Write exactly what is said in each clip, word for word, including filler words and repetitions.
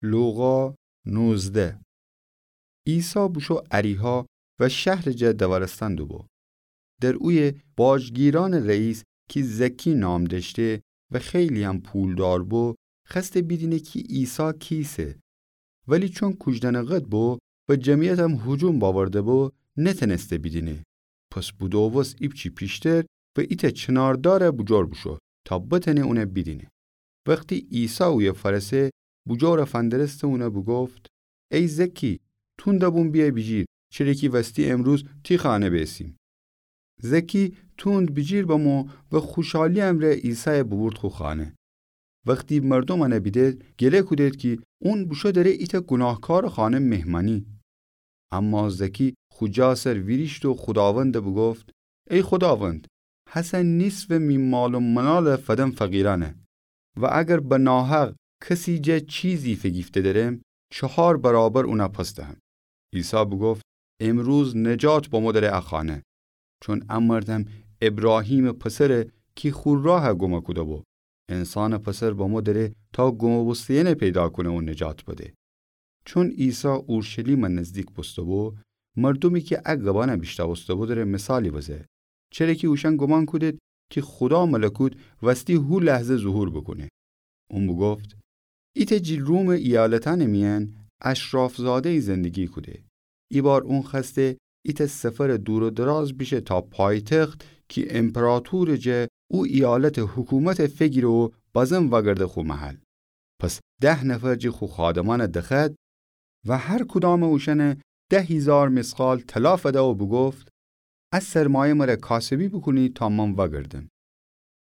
لوقا نوزده. عیسی بوشو اریحا و شهرٚ جا دورستن دوبو. در اویه باجگیرأنٚ رئیس کی زکی نام دأشته و خیلی‌یم پولدار بو، خوأسته بیدینه کی عیسی کیسه. ولی چون کوجدنٚ قد بو و جمعیتم هجوم باورده بو، نتأنسته بیدینه. پس بودوبوست ایپچی پیشتر و ایتأ چناردارٚ بوجور بوشو تا بتأنه اونه بیدینه. وختی عیسی اویه فأرسه، بوجورٚ فندرسته اونه بوگفت: ای زکی، توندٚ بوم بیأ بیجیر، چره کی وستی امروز تی خانه بیسیم. زکی توند بیجیر بمو و خوشحالی امرأ عیسایَ بوبورد خو خانه. وختی مردوم اونه بیدید، گله کودید کی اون بوشو دره ایتأ گوناهکارٚ خانه مهمأنی. اما زکی خو جا سر ویریشت و خوداوندَ بوگفت: ای خوداوند، هسه نیصفٚ می مال و منالَ فدم فقیرأنَ. و اگر به ناحق کسی جا چیزی فیگیفته درم، چهار برابر اونَ پس دهم. عیسی بوگفت: امروز نجات بمو دره ا خانه، چون ا مردأن ابراهیمٚ پسره کی خو راهَ گم کوده‌بو. انسانٚ پسر بمو دره تا گم بوسته‌یأنَ پیدا کونه و نجات بده. چون عیسی اورشلیمَ نزدیک بوسته‌بو، مردومی کی ا گبأنَ بیشنوسته‌بو دره مثالی بزه، چره کی اوشأن گومان کودید کی خودا ملکوت وستی هو لحظه ظهور بوکونه. اون بوگفت: ایتأ جی رومٚ ایالتأنٚ میأن اشرافزاده‌یی زندگی کوده. ایبار اون خوأسته ایتأ سفرٚ دور و دراز بیشه تا پایتخت کی امپراطورٚ جا او ایالتٚ حکومتَ فیگیره و بازم وأگرده خو محل. پس ده نفر جی خو خادمأنَ دخوأد و هر کدامٚ اوشأنَ ده هیزار مثقال طلا فده و بوگفت: ا سرمایه مره کاسبی بوکونید تا من وأگردم.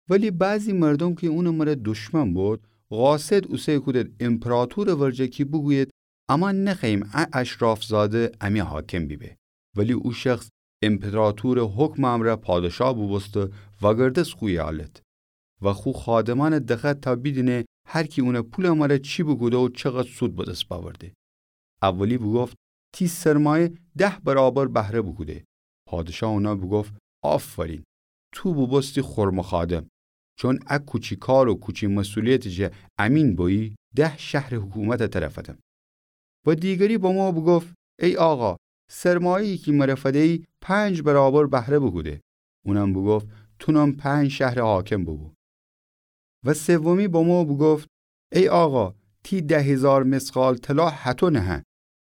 ولی بعضی مردوم کی اونٚ مره دشمن بود، قاصد اوسه کودید امپراطورٚ ورجه کی بوگویید: اما نخوأییم ا اشرافزاده امی حاکم بیبه. ولی او شخص امپراطورٚ حکمٚ امرأ پادشاه بوبوسته و وأگردست خو ایالت. و خو خادمأنَ دخوأد تا بیدینه هر کی اونٚ پولٚ مره چی بوکوده و چقدر سود به دس بأورده. اولی بوگفت: تی سرمایه ده برابر بهره بوکوده. پادشاه اونَ بوگفت: آفرین، تو بوبوستی خرمٚ خادم. چون ا کوچی کار و کوچی مسئولیتٚ جا امین بویی، ده شهرٚ حکومتَ تره فدم. و دیگری بمو بوگفت: ای آقا، سرمایه‌یی کی مره فده‌یی پنج برابر بهره بوکوده. اونم بوگفت: تونم پنج شهرٚ حاکم بوبو. و سومی بمو بوگفت: ای آقا، تی ده هیزار مثقال طلا هطو نهه.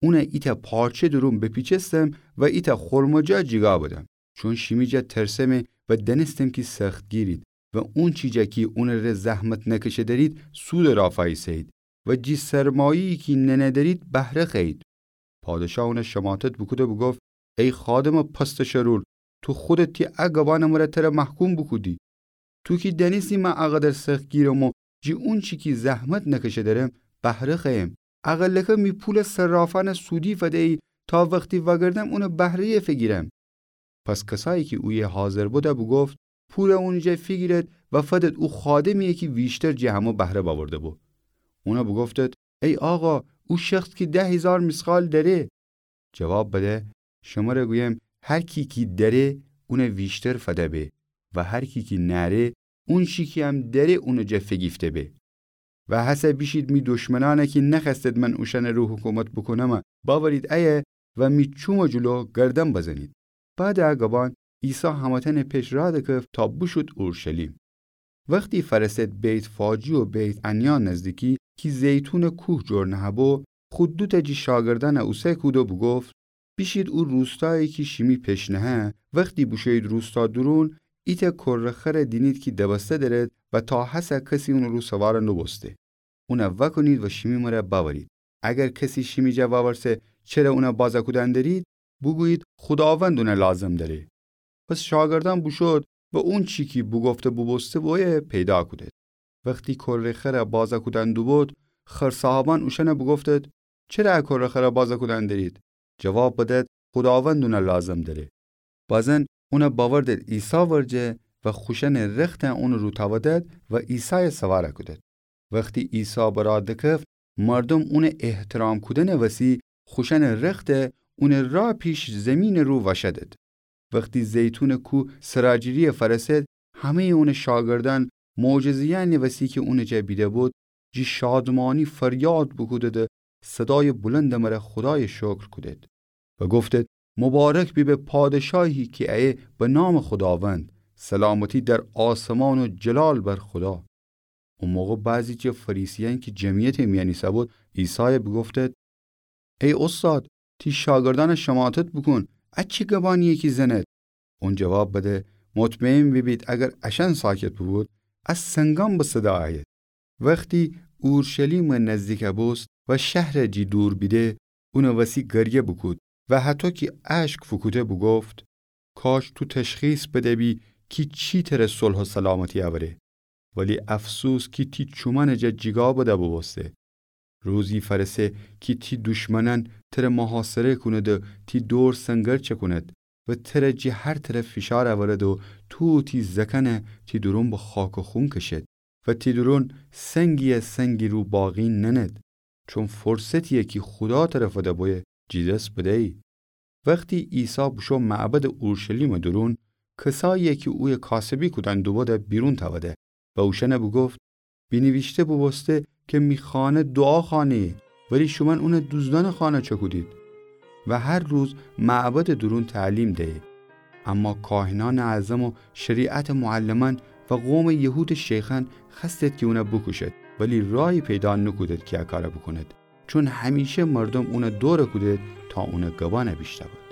اونَ ایتأ پارچه دورون بپیچستم و ایتأ خرمٚ جا جیگا بدم. چون شیمی جا ترسمه و دأنستم کی سختگیرید و اونچی جا کی اونٚ ره زحمت نکشه درید، سودٚ رافا ایسه‌یید و جی سرمایه‌یی کی ننه درید، بهره خوأیید. پادشاه اونَ شماتت بوکوده بوگفت: ای خادمٚ پستٚ شرور، تو خودت تی ا گبأنٚ مره تره محکوم بوکودی. تو کی دأنستی من اقدر سختگیرم و جی اونچی کی زحمت نکشه درم، بهره خوأیم. اقلکه می پولٚ صرافأنَ سودی فده‌یی تا وختی وأگردم اونٚ بهره‌یَ فیگیرم. پس کسایی کی اویه حاضر بودَ بوگفت: پولَ اونٚ جا فیگیرید و فدید او خادمی‌یَ کی ویشتر جه همه بهره بأورده‌بو. اونَ بوگفتید: ای آقا، او شخص کی ده هیزار مثقال دأره. جواب بده: شمره گویم، هر کی کی دأره، اونَ ویشتر فده به و هر کی کی نأره، اونچی کی هم دأره اونٚ جا فیگیفته به. و هسه بیشید می دشمنأنَ کی نخوأستید من اوشأنٚ رو حکومت بوکونم، بأورید ایه و می چومٚ جلو گردن بزنید. بعدٚ ا گبأن عیسی همه‌تأنٚ پیش راه دکفت تا بوشود اورشلیم. وختی فأرسد بیت‌فاجی و بیت‌عنیا نزدیکی کی زیتونٚ کوه جور نهه‌بو، خو دوتأ جی شاگردأنَ اوسه کود و بوگفت: بیشید او روستایی کی شیمی پیش نهه، وختی بوشویید روستا دورون، ایتأ کره خرَ دینید کی دبسته دأرید و تا هسه کسی اونٚ رو سوار نوبوسته. اونَ وأکونید و شیمی مره بأورید. اگر کسی شیمی جا وأورسه چره اونَ بازَ کودن دأرید، بوگویید خوداوند اونَ لازم دأره. پس شاگردأن بوشود و اونچی کی بوگفته بوبوسته بویه پیدا کودید. وختی کره خرَ بازَ کودن دوبود، خرصاحبأن اوشأنَ بوگفتید: چره ا کره خرَ بازَ کودن دأرید؟ جواب بدید: خوداوند اونَ لازم دأره. بازن اونَ بأوردید عیسی ورجه و خوشأنٚ رختَ اونٚ رو تأودید و عیسایَ سوارَ کودید. وختی عیسی به راه دکفت، مردوم اونٚ احترام کودنٚ وسی خوشأنٚ رختَ اونٚ راه پیش زیمینٚ رو وأشدید. وختی زیتونٚ کوه سراجیری‌یَ فأرسد، همه‌یٚ اونٚ شاگردأن معجزه‌یأنٚ وسی کی اونٚ جا بیده‌بود، جی شادمانی فریاد بوکودید و صدایٚ بلندٚ مره خودایٚ شکر کودید و گفتید: مبارک بیبه پادشاهی کی ایه به نامٚ خوداوند، سلامتی در آسمان و جلال بر خودا. او موقع بعضی جٚه فریسیأن کی جمعیتٚ میأن ایسه‌بود، عیسای بوگفتید: ای اوستاد، تی شاگردأنٚ شماتت بوکون، ا چی گبانییه کی زنید؟ اون جواب بده: مطمئن بیبید اگر اشأن ساکت بوبود، ا سنگأن به صدا ایید. وختی اورشلیمٚ نزدیک بوست و شهرٚ جی دور بیده، اونٚ وسی گریه بوکود و هطو کی اشک فوکوده بوگفت: کاش تو تشخیص بده‌بی کی چی تره صلح و سلامتی اوره. ولی افسوس کی تی چومأنٚ جا جیگا بده بوبوسته. روزی فأرسه کی تی دشمنأن تره محاصره کونید و تی دور سنگر چکونید و تره جی هر طرف فشار اورید و تو و تی زأکأن تی دورون به خاک و خون کشید و تی دورون سنگی از سنگی رو باقی نأنید، چون فرصتیی کی خودا تره فده بویه جی دس بدهیی. وختی عیسی بوشو معبدٚ اورشلیمٚ دورون، کسایی کی اویه کاسبی کودن دوبوده بیرون تأوده و اوشأن بوگفت: بینیویشته بوبوسته کی می خانه دوعا خانه‌یه، ولی شومأن اون دوزدأنٚ خانه چکودید. و هر روز معبدٚ دورون تعلیم دهیه. اما کاهنأنٚ اعظم و شریعتٚ معلمأن و قومٚ یهودٚ شیخأن خوأستید کی اون بوکوشید، ولی راهی پیدا نوکودید کی ا کار بوکونید، چون همیشه مردوم اون دور کودید تا اونٚ گبأن بیشنوید.